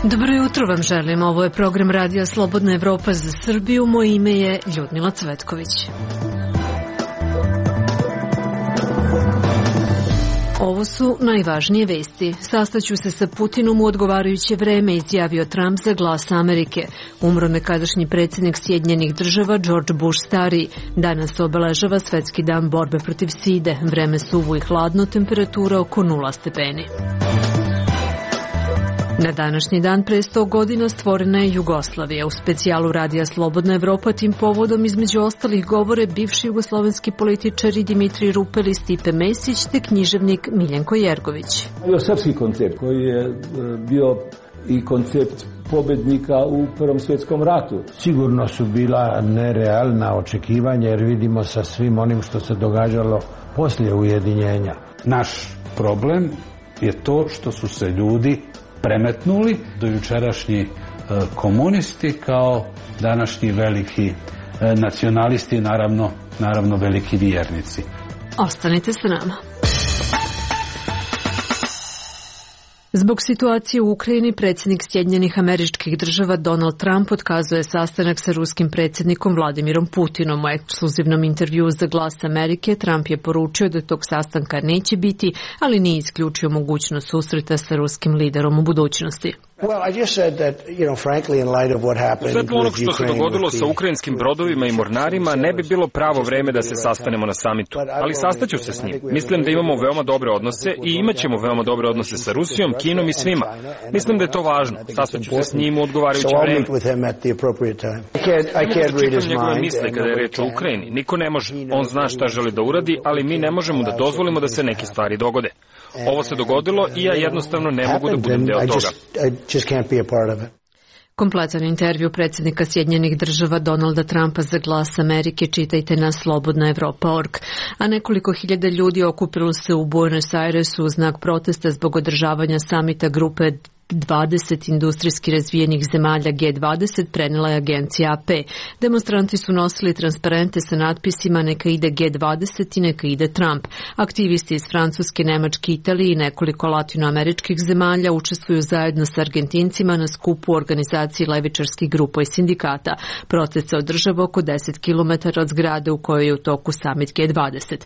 Dobro jutro vam želim. Ovo je program Radija Slobodna Evropa za Srbiju. Moje ime je Ljudmila Cvetković. Ovo su najvažnije vesti. Sastaću se sa Putinom u odgovarajuće vreme, izjavio Trump za Glas Amerike. Umro nekadašnji predsjednik Sjedinjenih Država George Bush stariji. Danas se obeležava Svetski dan borbe protiv side. Vreme suvo i hladno, temperatura oko 0 stepeni. Na današnji dan pre 100 godina stvorena je Jugoslavija. U specijalu Radija Slobodna Evropa tim povodom između ostalih govore bivši jugoslovenski političari Dimitrij Rupel i Stipe Mesić te književnik Miljenko Jergović. Srpski koncept koji je bio i koncept pobednika u Prvom svjetskom ratu. Sigurno su bila nerealna očekivanja jer vidimo sa svim onim što se događalo poslije ujedinjenja. Naš problem je to što su se ljudi premetnuli do jučerašnji komunisti kao današnji veliki nacionalisti, naravno veliki vjernici. Ostanite sa nama. Zbog situacije u Ukrajini, predsjednik Sjedinjenih Američkih Država Donald Trump otkazuje sastanak sa ruskim predsjednikom Vladimirom Putinom. U ekskluzivnom intervjuu za Glas Amerike Trump je poručio da tog sastanka neće biti, ali nije isključio mogućnost susreta sa ruskim liderom u budućnosti. U svetlu onog što se dogodilo sa ukrajinskim brodovima i mornarima, ne bi bilo pravo vreme da se sastanemo na samitu. Ali sastaću se s njim. Mislim da imamo veoma dobre odnose i imat ćemo veoma dobre odnose sa Rusijom, Kinom i svima. Mislim da je to važno. Sastaću se s njim u odgovarajuće vreme. Čitam njegove misle kada je reč o Ukrajini. Niko ne može. On zna šta želi da uradi, ali mi ne možemo da dozvolimo da se neke stvari dogode. Ovo se dogodilo i ja jednostavno ne mogu da budem deo toga. Kompletan intervju predsjednika Sjedinjenih Država Donalda Trumpa za Glas Amerike čitajte na slobodnaevropa.org. A nekoliko hiljada ljudi okupilo se u Buenos Airesu u znak protesta zbog održavanja samita grupe 20 industrijski razvijenih zemalja G20, prenela je agencija AP. Demonstranti su nosili transparente sa natpisima neka ide G20 i neka ide Trump. Aktivisti iz Francuske, Nemačke, Italije i nekoliko latinoameričkih zemalja učestvuju zajedno sa Argentincima na skupu u organizaciji levičarskih grupa i sindikata. Protest se održava oko 10 km od zgrade u kojoj je u toku summit G20.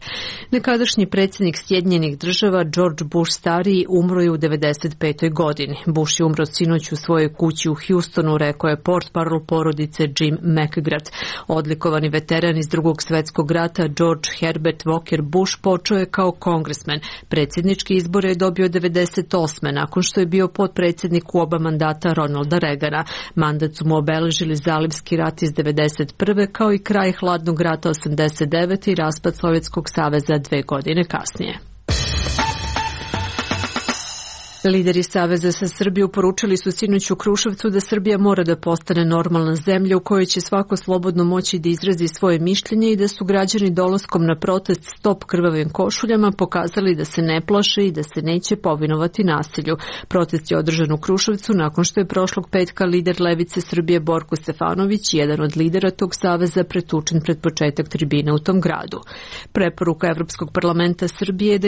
Nekadašnji predsjednik Sjedinjenih Država George Bush stariji umro je u 95. godini. Bush je umro sinoć u svojoj kući u Houstonu, rekao je portparol porodice Jim McGrath. Odlikovani veteran iz Drugog svjetskog rata George Herbert Walker Bush počeo je kao kongresmen. Predsjednički izbore je dobio 98. nakon što je bio potpredsjednik u oba mandata Ronalda Reagana. Mandat su mu obeležili Zalivski rat iz 91. kao i kraj hladnog rata 89. i raspad Sovjetskog saveza 2 godine kasnije. Lideri Saveza za Srbiju poručili su sinoć u Kruševcu da Srbija mora da postane normalna zemlja u kojoj će svako slobodno moći da izrazi svoje mišljenje i da su građani dolaskom na protest Stop krvavim košuljama pokazali da se ne plaše i da se neće povinovati nasilju. Protest je održan u Kruševcu nakon što je prošlog petka lider Levice Srbije Borko Stefanović, jedan od lidera tog saveza, pretučen pred početak tribine u tom gradu. Preporuka Evropskog parlamenta Srbije je da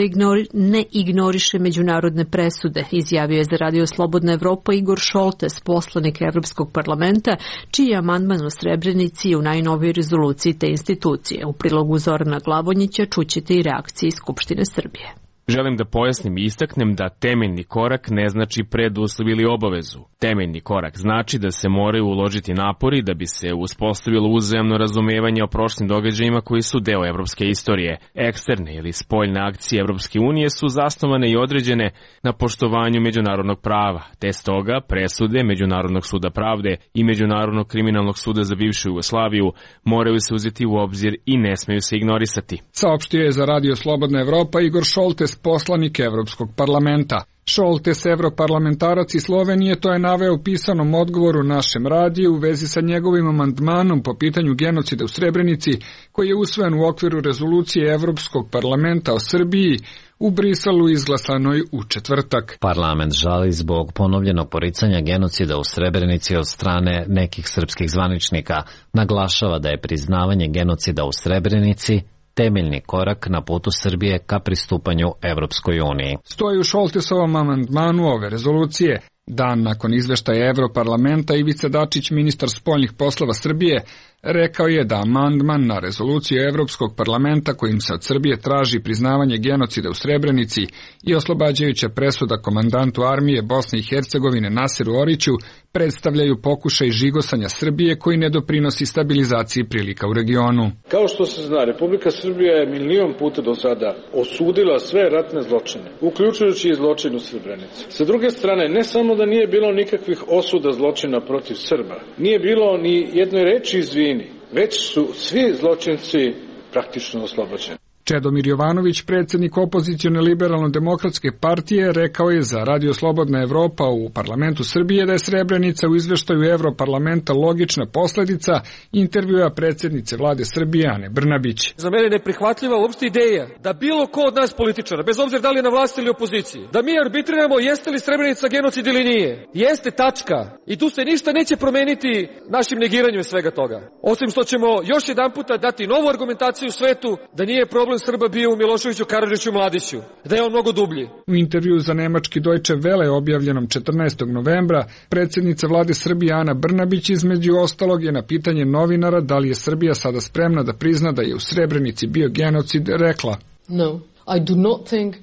ne ignoriše međunarodne presude, izjavio je za Radio Slobodna Evropa Igor Šoltes, poslanik Evropskog parlamenta, čiji je amandman o Srebrenici u najnovijoj rezoluciji te institucije. U prilogu Zorana Glavonjića čućete i reakcije iz Skupštine Srbije. Želim da pojasnim i istaknem da temeljni korak ne znači preduslov ili obavezu. Temeljni korak znači da se moraju uložiti napori da bi se uspostavilo uzajamno razumevanje o prošlim događajima koji su deo evropske istorije. Eksterne ili spoljne akcije Evropske unije su zasnovane i određene na poštovanju međunarodnog prava, te stoga presude Međunarodnog suda pravde i Međunarodnog kriminalnog suda za bivšu Jugoslaviju moraju se uzeti u obzir i ne smeju se ignorisati. Saopštio je za Radio Slobodna Evropa Igor Šoltes, poslanik Evropskog parlamenta. Šoltes, europarlamentarac iz Slovenije, to je naveo u pisanom odgovoru našem radiju u vezi sa njegovim amandmanom po pitanju genocida u Srebrenici, koji je usvojen u okviru rezolucije Evropskog parlamenta o Srbiji u Briselu izglasanoj u četvrtak. Parlament žali zbog ponovljenog poricanja genocida u Srebrenici od strane nekih srpskih zvaničnika. Naglašava da je priznavanje genocida u Srebrenici temeljni korak na putu Srbije ka pristupanju Evropskoj uniji. Stoji u Šoltesovom amandmanu ove rezolucije. Dan nakon izveštaja Evroparlamenta, Ivica Dačić, ministar spoljnih poslova Srbije, rekao je da amandman na rezoluciju Evropskog parlamenta kojim se od Srbije traži priznavanje genocida u Srebrenici i oslobađajuća presuda komandantu armije Bosne i Hercegovine Nasiru Oriću predstavljaju pokušaj žigosanja Srbije koji ne doprinosi stabilizaciji prilika u regionu. Kao što se zna, Republika Srbija je milion puta do sada osudila sve ratne zločine, uključujući i zločin u Srebrenici. Sa druge strane, ne samo da nije bilo nikakvih osuda zločina protiv Srba, nije bilo ni jednoj reči izvini, već su svi zločinci praktično oslobođeni. Čedomir Jovanović, predsjednik opozicione liberalno-demokratske partije, rekao je za Radio Slobodna Evropa u parlamentu Srbije da je Srebrenica u izveštaju Evroparlamenta logična posledica intervjua predsjednice vlade Srbije Ane Brnabić. Za mene neprihvatljiva uopšte ideja da bilo ko od nas političara, bez obzira da li je na vlasti ili opoziciji, da mi arbitriramo jeste li Srebrenica genocid ili nije. Jeste, tačka. I tu se ništa neće promeniti našim negiranjem svega toga. Osim što ćemo još jedan puta dati novu argumentaciju u svetu da nije problem Srba bio u Miloševiću, Karadžiću, Mladiću, da je on mnogo dublji. U intervju za nemački Deutsche Welle objavljenom 14. novembra, predsjednica vlade Srbije Ana Brnabić između ostalog je na pitanje novinara da li je Srbija sada spremna da prizna da je u Srebrenici bio genocid rekla: No. I do not think...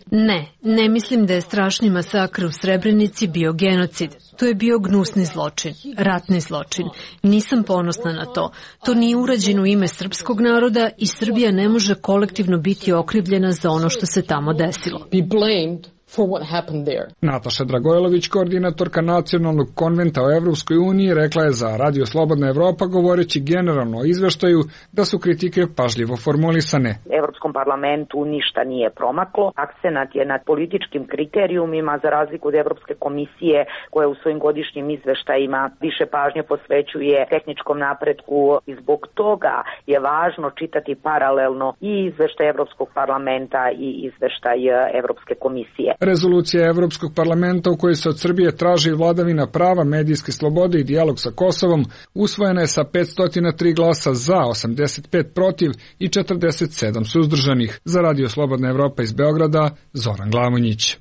Ne mislim da je strašni masakr u Srebrenici bio genocid. To je bio gnusni zločin, ratni zločin. Nisam ponosna na to. To nije urađeno u ime srpskog naroda i Srbija ne može kolektivno biti okrivljena za ono što se tamo desilo. Be blamed for what happened there. Nataša Dragojlović, koordinatorka Nacionalnog konventa o Evropskoj uniji, rekla je za Radio Slobodna Evropa, govoreći generalno o izveštaju, da su kritike pažljivo formulisane. Evropskom parlamentu ništa nije promaklo. Akcenat je nad političkim kriterijumima, za razliku od Evropske komisije koja u svojim godišnjim izveštajima više pažnje posvećuje tehničkom napretku i zbog toga je važno čitati paralelno i izveštaj Evropskog parlamenta i izveštaj Evropske komisije. Rezolucija Evropskog parlamenta u kojoj se od Srbije traži vladavina prava, medijske slobode i dijalog sa Kosovom usvojena je sa 503 glasa za, 85 protiv i 47 suzdržanih. Za Radio Slobodna Evropa iz Beograda, Zoran Glamonjić.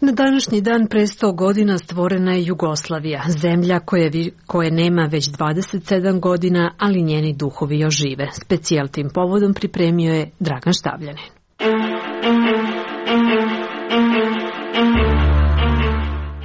Na današnji dan pre 100 godina stvorena je Jugoslavija, zemlja koje nema već 27 godina, ali njeni duhovi još žive. Specijal tim povodom pripremio je Dragan Štavljanin.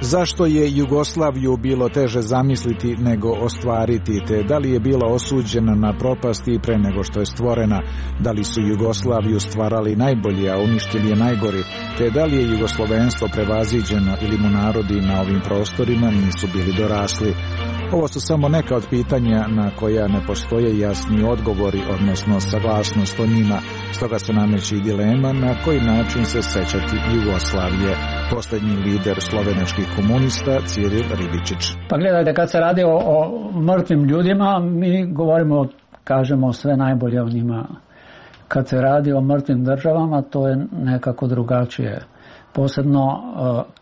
Zašto je Jugoslaviju bilo teže zamisliti nego ostvariti, te da li je bila osuđena na propast i pre nego što je stvorena, da li su Jugoslaviju stvarali najbolji, a uništili je najgori, te da li je jugoslovenstvo prevaziđeno ili mu narodi na ovim prostorima nisu bili dorasli. Ovo su samo neka od pitanja na koja ne postoje jasni odgovori, odnosno saglasnost o njima. Stoga se nameće i dilema na koji način se sećati Jugoslavije. Posljednji lider slovenačkih komunista Ciril Ribičić. Pa gledajte, kad se radi o mrtvim ljudima, mi govorimo, kažemo sve najbolje o njima. Kad se radi o mrtvim državama, to je nekako drugačije. Posebno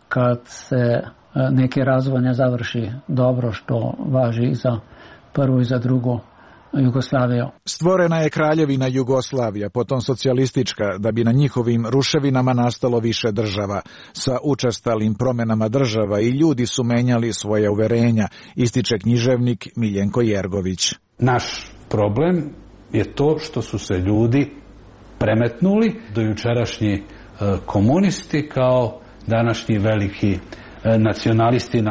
kad se neki razvoj ne završi dobro, što važi i za prvu i za drugu Jugoslaviju. Stvorena je kraljevina Jugoslavija, potom socijalistička, da bi na njihovim ruševinama nastalo više država. Sa učestalim promenama država i ljudi su menjali svoje uverenja, ističe književnik Miljenko Jergović. Naš problem je to što su se ljudi premetnuli, dojučerašnji komunisti kao današnji veliki nacionalisti,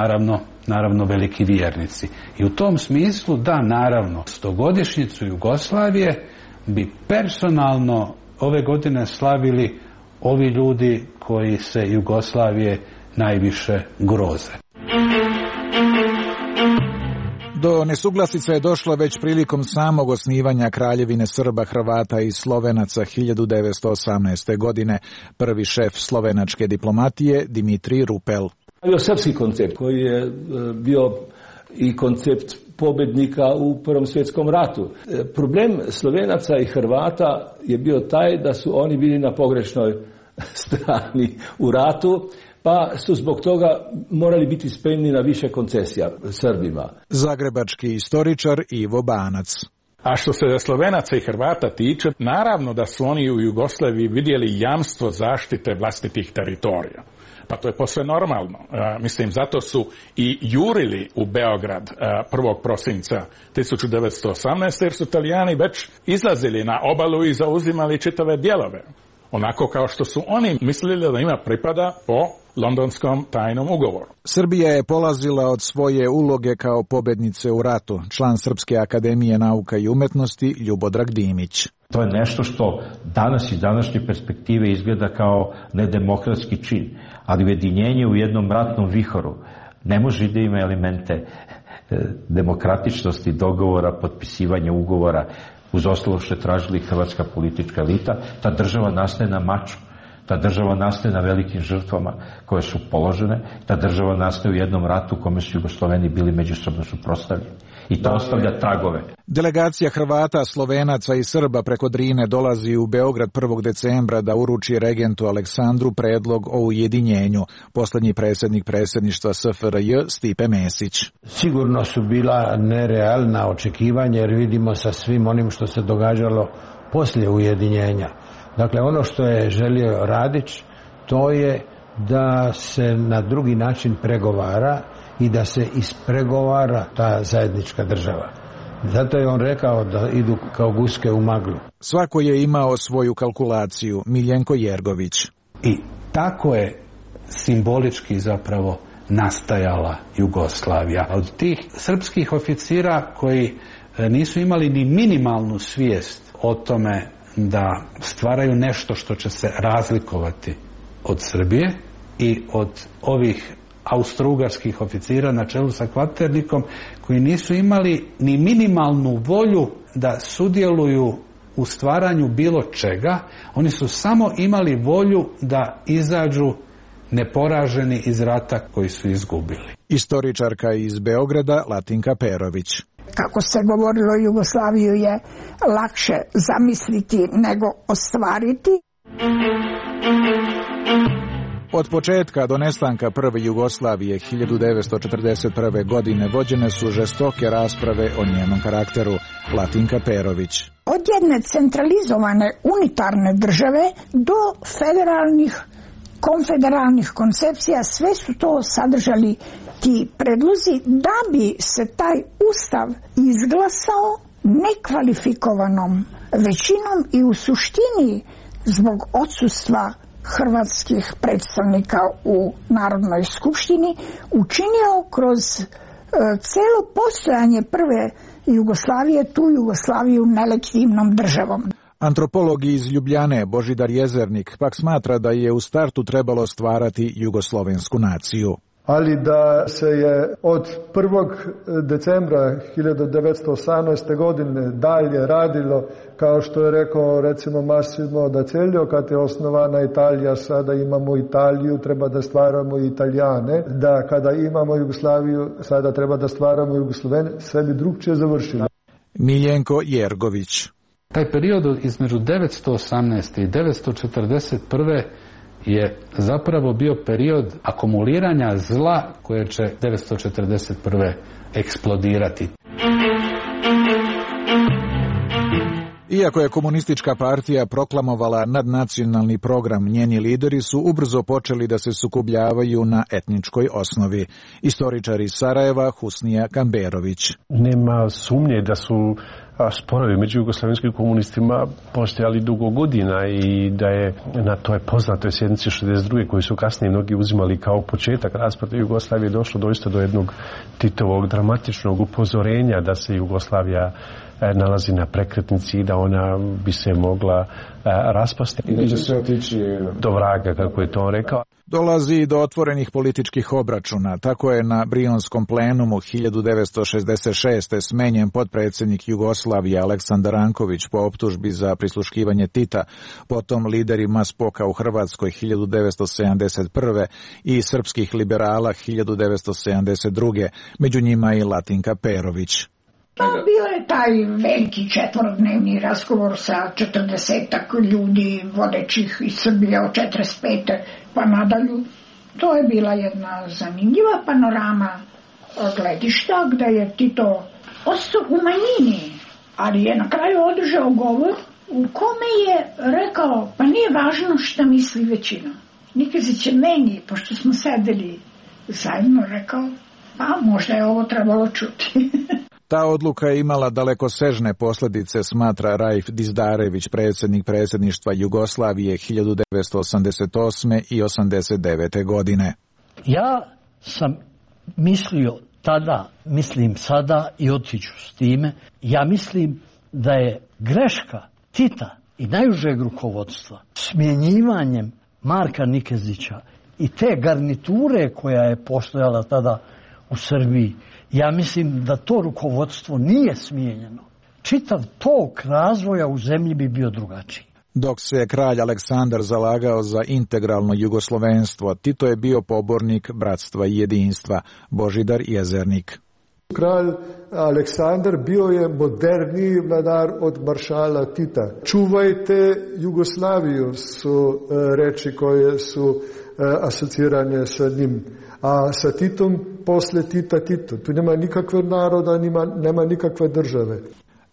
naravno veliki vjernici. I u tom smislu, da, naravno, 100-godišnjicu Jugoslavije bi personalno ove godine slavili ovi ljudi koji se Jugoslavije najviše groze. Do nesuglasica je došlo već prilikom samog osnivanja Kraljevine Srba, Hrvata i Slovenaca 1918. godine. Prvi šef slovenačke diplomatije Dimitrij Rupel. Bio srpski koncept koji je bio i koncept pobednika u Prvom svjetskom ratu. Problem Slovenaca i Hrvata je bio taj da su oni bili na pogrešnoj strani u ratu, pa su zbog toga morali biti spremni na više koncesija Srbima. Zagrebački istoričar Ivo Banac. A što se Slovenaca i Hrvata tiče, naravno da su oni u Jugoslaviji vidjeli jamstvo zaštite vlastitih teritorija. Pa to je posve normalno. Mislim, zato su i jurili u Beograd 1. prosinca 1918. jer su Italijani već izlazili na obalu i zauzimali čitave dijelove. Onako kao što su oni mislili da ima pripada po Londonskom tajnom ugovoru. Srbija je polazila od svoje uloge kao pobednice u ratu, član Srpske akademije nauka i umetnosti Ljubodrag Dimić. To je nešto što danas iz današnje perspektive izgleda kao nedemokratski čin, ali ujedinjenje u jednom ratnom vihoru ne može da ima elemente demokratičnosti, dogovora, potpisivanja ugovora, uz ostalo što je tražila i hrvatska politička elita. Ta država nastaje na maču, ta država nastaje na velikim žrtvama koje su položene, ta država nastaje u jednom ratu u kome su Jugosloveni bili međusobno suprotstavljeni. I to ostavlja tragove. Delegacija Hrvata, Slovenaca i Srba preko Drine dolazi u Beograd 1. decembra da uruči regentu Aleksandru predlog o ujedinjenju. Poslednji predsjednik predsjedništva SFRJ Stipe Mesić. Sigurno su bila nerealna očekivanja jer vidimo sa svim onim što se događalo poslije ujedinjenja. Dakle, ono što je želio Radić, to je da se na drugi način pregovara i da se ispregovara ta zajednička država. Zato je on rekao da idu kao guske u maglu. Svako je imao svoju kalkulaciju. Miljenko Jergović. I tako je simbolički zapravo nastajala Jugoslavija. Od tih srpskih oficira koji nisu imali ni minimalnu svijest o tome da stvaraju nešto što će se razlikovati od Srbije i od ovih austrougarskih oficira na čelu sa Kvaternikom koji nisu imali ni minimalnu volju da sudjeluju u stvaranju bilo čega, oni su samo imali volju da izađu neporaženi iz rata koji su izgubili. Istoričarka iz Beograda Latinka Perović. Kako se govorilo, Jugoslaviju je lakše zamisliti nego ostvariti. Od početka do nestanka prve Jugoslavije 1941. godine vođene su žestoke rasprave o njenom karakteru. Latinka Perović. Od jedne centralizovane unitarne države do federalnih, konfederalnih koncepcija, sve su to sadržali ti predlozi da bi se taj ustav izglasao nekvalifikovanom većinom i u suštini zbog odsustva hrvatskih predstavnika u Narodnoj skupštini učinio kroz celo postojanje prve Jugoslavije tu Jugoslaviju nelegitimnom državom. Antropolog iz Ljubljane Božidar Jezernik pak smatra da je u startu trebalo stvarati jugoslovensku naciju. Ali da se je od 1. decembra 1918. godine dalje radilo, kao što je rekao recimo Massimo d'Azeglio, kad je osnovana Italija, sada imamo Italiju, treba da stvaramo Italijane, da kada imamo Jugoslaviju, sada treba da stvaramo Jugoslovene, sve bi drugčije završilo. Miljenko Jergović. Taj period između 918. i 941. je zapravo bio period akumuliranja zla koje će 941. eksplodirati. Iako je komunistička partija proklamovala nadnacionalni program, njeni lideri su ubrzo počeli da se sukobljavaju na etničkoj osnovi. Istoričar iz Sarajeva Husnija Kamberović. Nema sumnje da su sporovi među jugoslavenskim komunistima postojali dugo godina i da je na toj poznatoj sjednici 62. koji su kasnije mnogi uzimali kao početak rasprave Jugoslavije došlo doista do jednog Titovog dramatičnog upozorenja da se Jugoslavija nalazi na prekretnici i da ona bi se mogla raspasti. I da će sve otići do vraga, kako je to rekao. Dolazi do otvorenih političkih obračuna. Tako je na Brionskom plenumu 1966. smenjen potpredsjednik Jugoslavije Aleksandar Ranković po optužbi za prisluškivanje Tita, potom lideri Spoka u Hrvatskoj 1971. i srpskih liberala 1972. Među njima i Latinka Perović. Bio je taj veliki četvorodnevni razgovor sa 40-ak ljudi vodećih iz Srbije od 45. pa nadalju. To je bila jedna zanimljiva panorama gledišta gde je Tito ostao u manjini, Ali je na kraju održao govor u kome je rekao, pa nije važno šta misli većina. Nikezić je meni, pošto smo sedeli zajedno, rekao, pa možda je ovo trebalo čuti. Ta odluka je imala dalekosežne posljedice, smatra Raif Dizdarević, predsjednik predsjedništva Jugoslavije 1988. i 89. godine. Ja sam mislio tada, mislim sada i otiću s time, ja mislim da je greška Tita i najužeg rukovodstva smjenjivanjem Marka Nikezića i te garniture koja je postojala tada u Srbiji, ja mislim da to rukovodstvo nije smijenjeno. Čitav tok razvoja u zemlji bi bio drugačiji. Dok se kralj Aleksandar zalagao za integralno jugoslovenstvo, Tito je bio pobornik bratstva i jedinstva. Božidar Jezernik. Kralj Aleksandar bio je moderniji vladar od maršala Tita. Čuvajte Jugoslaviju su reči koje su asocirane sa njim. A sa Titom, posle Tita Tito. Tu nema nikakve naroda, nema nikakve države.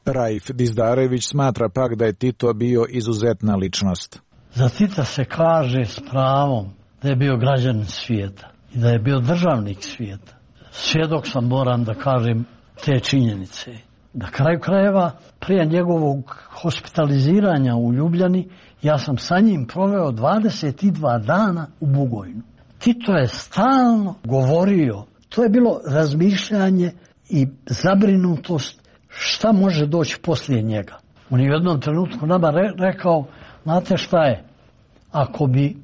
Raif Dizdarević smatra pak da je Tito bio izuzetna ličnost. Za Tita se kaže s pravom da je bio građanin svijeta i da je bio državnik svijeta. Svjedok sam, moram da kažem, te činjenice. Na kraju krajeva, prije njegovog hospitaliziranja u Ljubljani, ja sam sa njim proveo 22 dana u Bugojnu. Tito je stalno govorio, to je bilo razmišljanje i zabrinutost šta može doći poslije njega. On je u jednom trenutku nama rekao, znate šta je, ako bi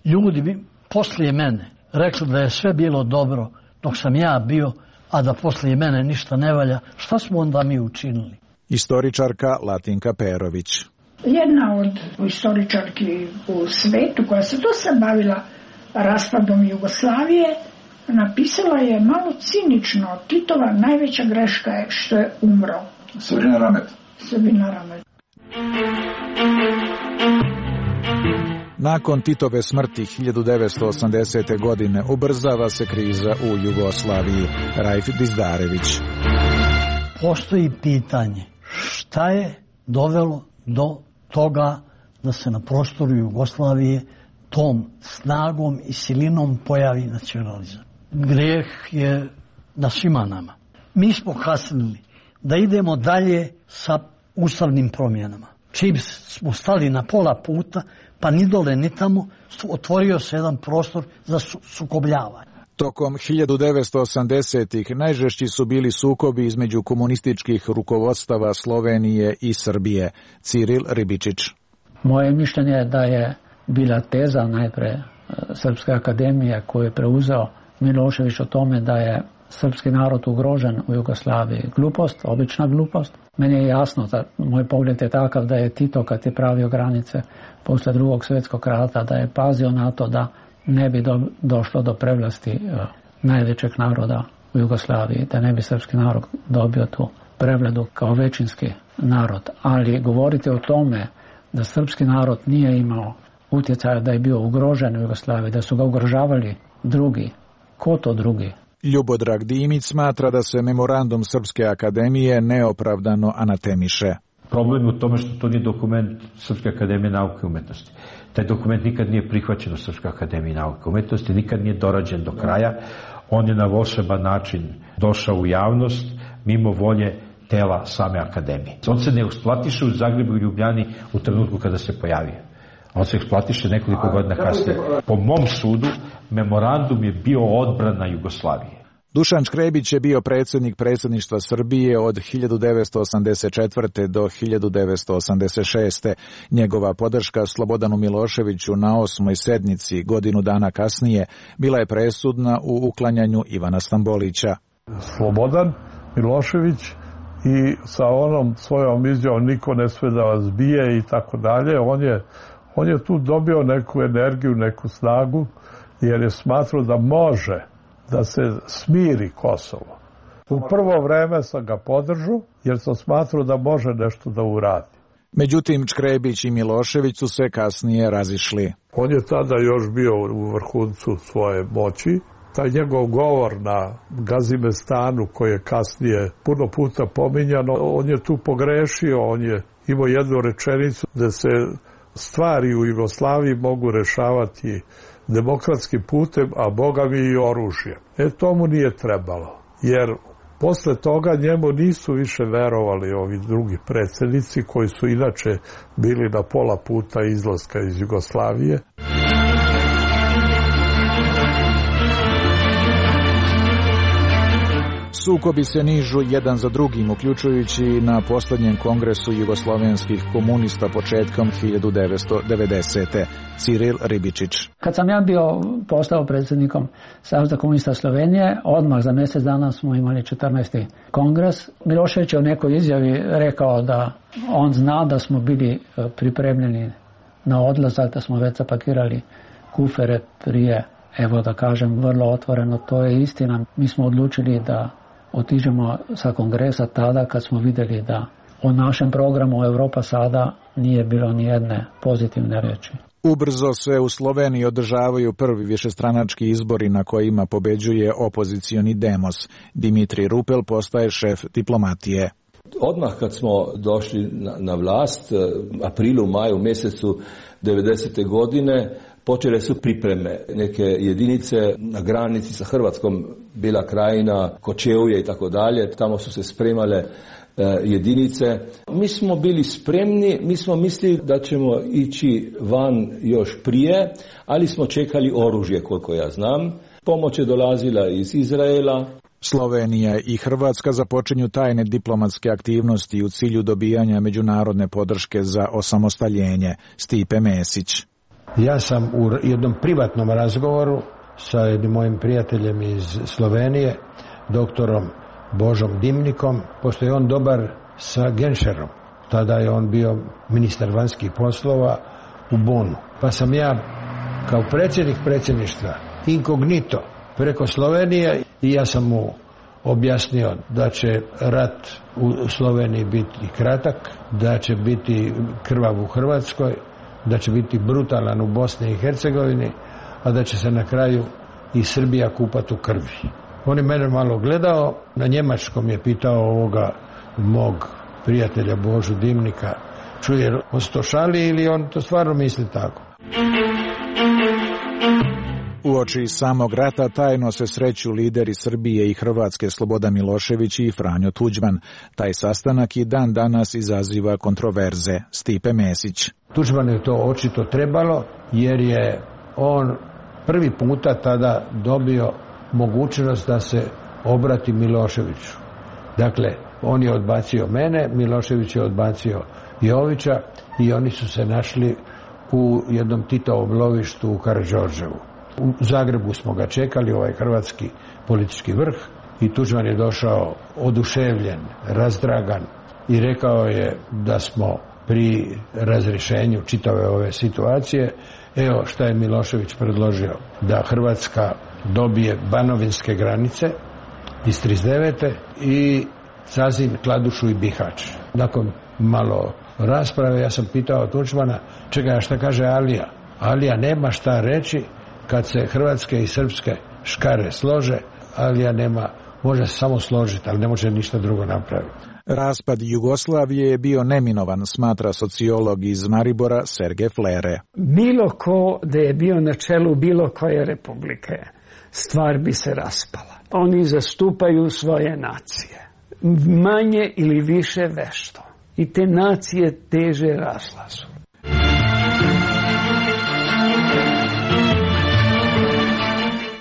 ljudi poslije mene rekli da je sve bilo dobro dok sam ja bio, a da poslije mene ništa ne valja, šta smo onda mi učinili? Istoričarka Latinka Perović. Jedna od istoričarki u svetu koja se dosta bavila raspadom Jugoslavije, napisala je malo cinično, Titova najveća greška je što je umro. Sabina Ramet. Sabina Ramet. Nakon Titove smrti 1980. godine ubrzava se kriza u Jugoslaviji. Raif Dizdarević. Postoji pitanje šta je dovelo do toga da se na prostoru Jugoslavije tom snagom i silinom pojavi nacionalizam. Grijeh je na svima nama. Mi smo kasnili da idemo dalje sa ustavnim promjenama. Čim smo stali na pola puta, pa ni dole ni tamo, otvorio se jedan prostor za sukobljavanje. Tokom 1980-ih najžešći su bili sukobi između komunističkih rukovodstava Slovenije i Srbije. Ciril Ribičić. Moje mišljenje je da je bila teza najpre Srpske akademije koju je preuzeo Milošević o tome da je srpski narod ugrožen u Jugoslaviji. Glupost, obična glupost. Meni je jasno da moj pogled je takav da je Tito kad je pravio granice posle Drugog svjetskog rata, da je pazio na to da ne bi došlo do prevlasti najvećeg naroda u Jugoslaviji, da ne bi srpski narod dobio tu prevladu kao većinski narod. Ali govoriti o tome da srpski narod nije imao utjecaja, da je bio ugrožen u Jugoslaviji, da su ga ugrožavali drugi. Ko to drugi? Ljubodrag Dimić smatra da se memorandum Srpske akademije neopravdano anatemiše. Problem je u tome što to nije dokument Srpske akademije nauke i umetnosti. Taj dokument nikad nije prihvaćen u Srpskoj akademiji nauke i umetnosti, nikad nije dorađen do kraja. On je na volšeban način došao u javnost mimo volje tela same akademije. On se ne usplatiše u Zagrebu i Ljubljani u trenutku kada se pojavio. On se eksplatiše nekoliko godina kasnije. Po mom sudu, memorandum je bio odbrana Jugoslavije. Dušan Škrebić je bio predsjednik predsjedništva Srbije od 1984. do 1986. Njegova podrška Slobodanu Miloševiću na 8. sednici godinu dana kasnije bila je presudna u uklanjanju Ivana Stambolića. Slobodan Milošević i sa onom svojom izjavom niko ne sve da vas bije i tako dalje, on je tu dobio neku energiju, neku snagu, jer je smatrao da može da se smiri Kosovo. U prvo vreme sam ga podržao, jer sam smatrao da može nešto da uradi. Međutim, Škrebić i Milošević su se kasnije razišli. On je tada još bio u vrhuncu svoje moći taj njegov govor na Gazimestanu, koji je kasnije puno puta pominjano, on je tu pogrešio, on je imao jednu rečenicu da se stvari u Jugoslaviji mogu rešavati demokratskim putem, a Boga mi i oružjem. To mu nije trebalo, jer posle toga njemu nisu više verovali ovi drugi predsjednici koji su inače bili na pola puta izlaska iz Jugoslavije. Sukobi se nižu jedan za drugim, uključujući na posljednjem kongresu jugoslovenskih komunista početkom 1990. Ciril Ribičić. Kad sam ja postao predsjednikom Saveza komunista Slovenije, odmah za mjesec dana smo imali 14. kongres. Milošević je u nekoj izjavi rekao da on zna da smo bili pripremljeni na odlazak, da smo već zapakirali kufere prije, evo da kažem vrlo otvoreno, to je istina. Mi smo odlučili da otiđemo sa kongresa tada kad smo vidjeli da u našem programu Europa sada nije bilo ni jedne pozitivne riječi. Ubrzo se u Sloveniji održavaju prvi višestranački izbori na kojima pobeđuje opozicioni demos. Dimitri Rupel postaje šef diplomatije. Odmah kad smo došli na vlast, aprilu, maju mjesecu 90. godine, počele su pripreme. Neke jedinice na granici sa Hrvatskom, Bela Krajina, Kočevje i tako dalje, tamo su se spremale jedinice. Mi smo bili spremni, mi smo mislili da ćemo ići van još prije, ali smo čekali oružje, koliko ja znam. Pomoć je dolazila iz Izraela. Slovenija i Hrvatska započinju tajne diplomatske aktivnosti u cilju dobijanja međunarodne podrške za osamostaljenje. Stipe Mesić. Ja sam u jednom privatnom razgovoru sa jednim mojim prijateljem iz Slovenije, doktorom Božom Dimnikom, pošto je on dobar sa Genšerom. Tada je on bio ministar vanjskih poslova u Bonu. Pa sam ja kao predsjednik predsjedništva inkognito preko Slovenije i ja sam mu objasnio da će rat u Sloveniji biti kratak, da će biti krvav u Hrvatskoj, da će biti brutalan u Bosni i Hercegovini, a da će se na kraju i Srbija kupati u krvi. On je mene malo gledao, na njemačkom je pitao ovoga mog prijatelja Božu Dimnika, čuje, on se to šali ili on to stvarno misli tako? Uoči samog rata tajno se sreću lideri Srbije i Hrvatske Slobodan Milošević i Franjo Tuđman. Taj sastanak i dan danas izaziva kontroverze. Stipe Mesić. Tuđman je to očito trebalo jer je on prvi puta tada dobio mogućnost da se obrati Miloševiću. Dakle, on je odbacio mene, Milošević je odbacio Jovića i oni su se našli u jednom Titovom lovištu u Karađorđevu. U Zagrebu smo ga čekali, ovaj hrvatski politički vrh, i Tuđman je došao oduševljen, razdragan i rekao je da smo pri razrješenju čitave ove situacije, evo šta je Milošević predložio, da Hrvatska dobije banovinske granice iz 39. i Sazin, Kladušu i Bihać. Nakon malo rasprave ja sam pitao Tuđmana, čekaj, šta kaže Alija? Alija nema šta reći, kad se hrvatske i srpske škare slože, Alija nema, može se samo složiti, ali ne može ništa drugo napraviti. Raspad Jugoslavije je bio neminovan, smatra sociolog iz Maribora Sergej Flere. Bilo ko da je bio na čelu bilo koje republike, stvar bi se raspala. Oni zastupaju svoje nacije, manje ili više vešto. I te nacije teže razlazu.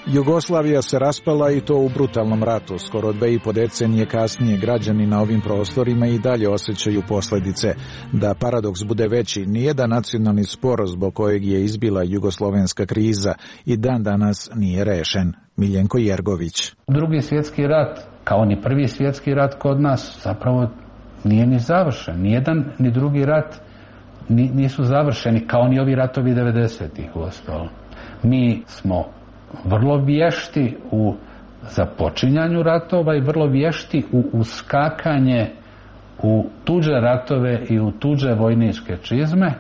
Jugoslavija se raspala i to u brutalnom ratu. Skoro 2,5 decenije kasnije građani na ovim prostorima i dalje osjećaju posljedice. Da paradoks bude veći, nijedan nacionalni spor zbog kojeg je izbila jugoslovenska kriza i dan danas nije rešen. Miljenko Jergović. Drugi svjetski rat, kao ni prvi svjetski rat kod nas, zapravo nije ni završen. Nijedan ni drugi rat nisu završeni, kao ni ovi ratovi 90-ih uostalom. Mi smo vrlo vješti u započinjanju ratova i vrlo vješti u uskakanje u tuđe ratove i u tuđe vojničke čizme,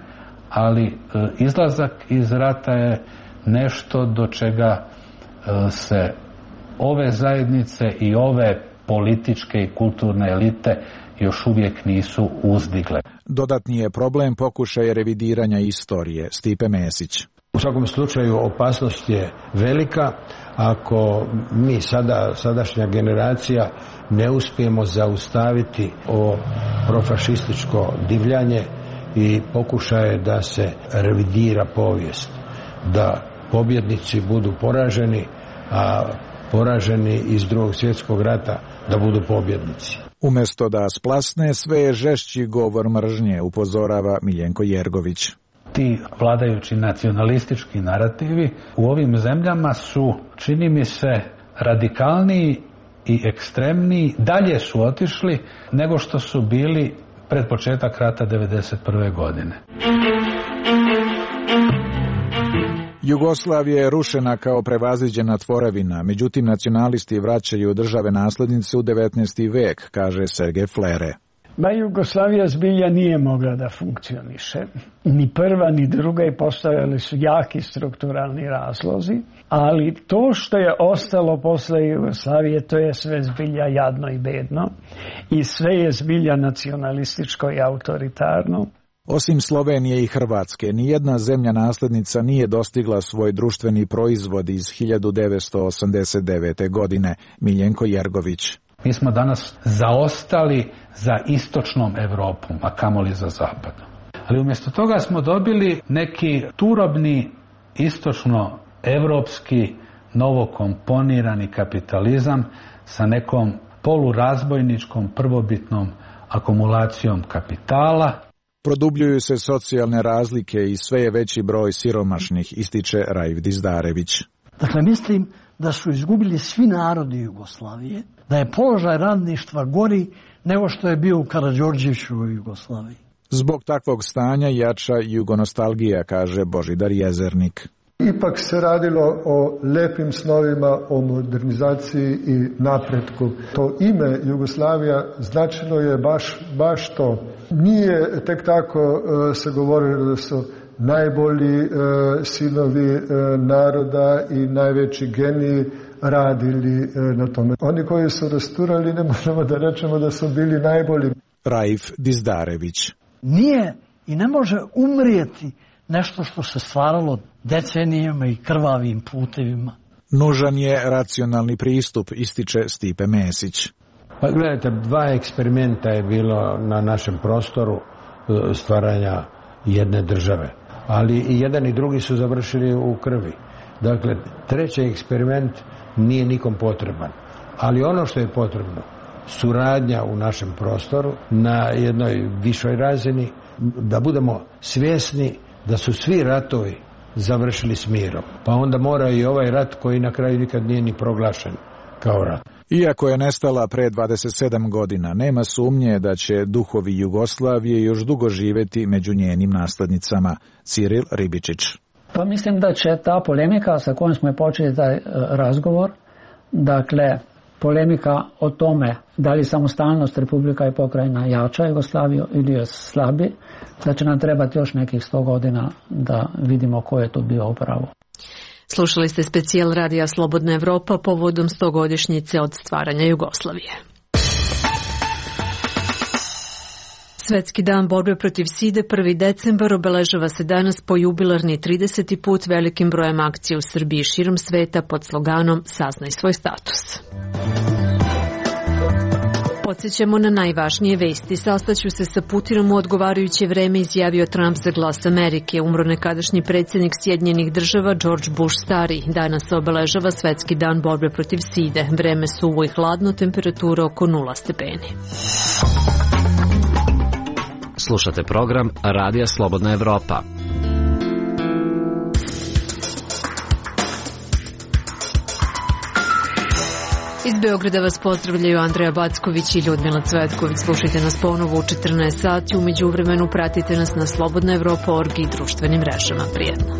ali izlazak iz rata je nešto do čega se ove zajednice i ove političke i kulturne elite još uvijek nisu uzdigle. Dodatni je problem pokušaja revidiranja istorije. Stipe Mesić. U svakom slučaju opasnost je velika. Ako mi sadašnja generacija ne uspijemo zaustaviti ovo profašističko divljanje i pokušaje da se revidira povijest, da pobjednici budu poraženi, a poraženi iz Drugog svjetskog rata da budu pobjednici. Umjesto da splasne, sve je žešći govor mržnje, upozorava Miljenko Jergović. Ti vladajući nacionalistički narativi u ovim zemljama su, čini mi se, radikalniji i ekstremniji, dalje su otišli nego što su bili pred početak rata 1991. godine. Jugoslavija je rušena kao prevaziđena tvorevina, međutim nacionalisti vraćaju države naslednice u 19. vek, kaže Sergej Flere. Jugoslavija zbilja nije mogla da funkcioniše. Ni prva ni druga i postojali su jaki strukturalni razlozi, ali to što je ostalo posle Jugoslavije, to je sve zbilja jadno i bedno i sve je zbilja nacionalističko i autoritarno. Osim Slovenije i Hrvatske, nijedna zemlja naslednica nije dostigla svoj društveni proizvod iz 1989. godine, Miljenko Jergović. Mi smo danas zaostali za istočnom Evropom, a kamoli za zapadom. Ali umjesto toga smo dobili neki turobni istočno-evropski novokomponirani kapitalizam sa nekom polurazbojničkom prvobitnom akumulacijom kapitala. Produbljuju se socijalne razlike i sve je veći broj siromašnih, ističe Raif Dizdarević. Dakle, mislim da su izgubili svi narodi Jugoslavije, da je položaj radništva gori nego što je bio u Karađorđevićevoj Jugoslaviji. Zbog takvog stanja jača jugonostalgija, kaže Božidar Jezernik. Ipak se radilo o lepim snovima, o modernizaciji i napretku. To ime Jugoslavija značilo je baš to. Nije tek tako se govorilo da su najbolji sinovi naroda i najveći geniji radili na tome. Oni koji su rasturali, ne možemo da rečemo da su bili najbolji. Raif Dizdarević. Nije i ne može umrijeti nešto što se stvaralo decenijama i krvavim putevima. Nužan je racionalni pristup, ističe Stipe Mesić. Pa gledajte, 2 eksperimenta je bilo na našem prostoru stvaranja jedne države. Ali i jedan i drugi su završili u krvi. Dakle, 3. eksperiment nije nikom potreban. Ali ono što je potrebno, suradnja u našem prostoru na jednoj višoj razini, da budemo svjesni da su svi ratovi završili s mirom. Pa onda mora i ovaj rat koji na kraju nikad nije ni proglašen kao rat. Iako je nestala pre 27 godina, nema sumnje da će duhovi Jugoslavije još dugo živeti među njenim naslednicama. Ciril Ribičić. Pa mislim da će ta polemika sa kojom smo počeli taj razgovor, dakle polemika o tome da li samostalnost Republika i pokrajina jača Jugoslaviju ili je slabi, da će nam trebati još nekih 100 godina da vidimo ko je to bio upravo. Slušali ste specijal radija Slobodna Evropa povodom 100-godišnjice od stvaranja Jugoslavije. Svetski dan borbe protiv side 1. decembar obeležava se danas po jubilarni 30. put velikim brojem akcija u Srbiji i širom sveta pod sloganom Saznaj svoj status. Podsjećamo na najvažnije vesti. Sastaću se sa Putinom u odgovarajuće vreme, izjavio Trump za Glas Amerike. Umro nekadašnji predsjednik Sjedinjenih država George Bush stari. Danas se obeležava Svetski dan borbe protiv side. Vreme suvo i hladno, temperatura oko 0 stepeni. Slušate program Radija Slobodna Evropa. Iz Beograda vas pozdravljaju Andreja Backović i Ljudmila Cvetković. Slušajte nas ponovo u 14 sati. U međuvremenu pratite nas na slobodnaevropa.org i društvenim mrežama. Prijetno.